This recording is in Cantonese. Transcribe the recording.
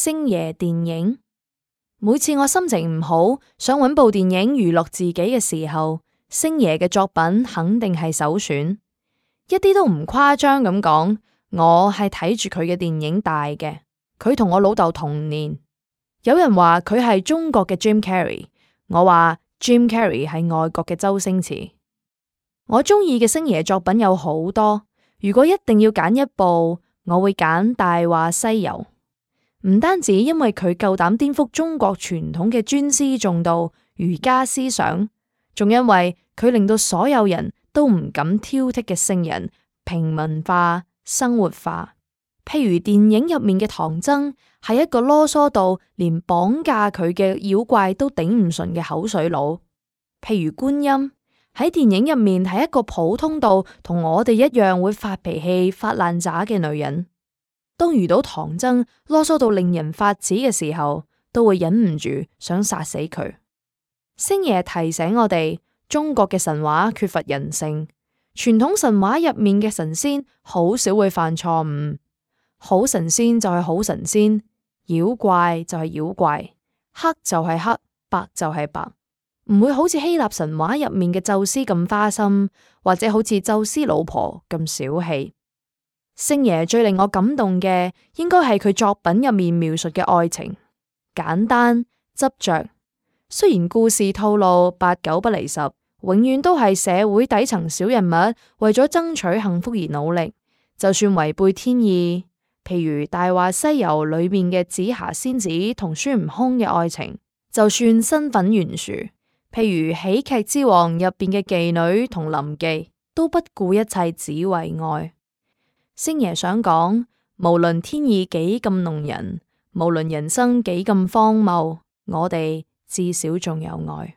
星爺電影。每次我心情唔好，想搵部電影娛樂自己嘅時候，星爺嘅作品肯定係首選。一啲都唔誇張咁講，我係睇住佢嘅電影大嘅。佢同我老豆同年。有人話佢係中國嘅 Jim Carrey， 我話 Jim Carrey 係外國嘅周星馳。我中意嘅星爺作品有好多，如果一定要揀一部，我會揀《大話西遊》。唔單止因為佢夠膽顛覆中國傳統嘅尊師重道儒家思想，仲因為佢令到所有人都唔敢挑剔嘅聖人平民化、生活化。譬如電影入面嘅唐僧係一個囉嗦到連綁架佢嘅妖怪都頂唔順嘅口水佬。譬如觀音喺電影入面係一個普通到同我哋一樣會發脾氣、發爛渣嘅女人。當遇到唐僧囉嗦到令人發指嘅時候，都會忍唔住想殺死佢。星爺提醒我哋，中國嘅神話缺乏人性，傳統神話入面嘅神仙好少會犯錯誤，好神仙就係好神仙，妖怪就係妖怪，黑就係黑，白就係白，唔會好似希臘神話入面嘅宙斯咁花心，或者好似宙斯老婆咁小氣。星爺最令我感動嘅，應該係佢作品入面描述嘅愛情，簡單執着。雖然故事套路八九不離十，永遠都係社會底層小人物為咗爭取幸福而努力，就算違背天意，譬如《大話西遊》裏面嘅紫霞仙子同孫悟空嘅愛情，就算身份懸殊，譬如《喜劇之王》入邊嘅妓女同臨記，都不顧一切只為愛。星爺想講，無論天意幾咁弄人，無論人生幾咁荒謬，我哋至少仲有愛。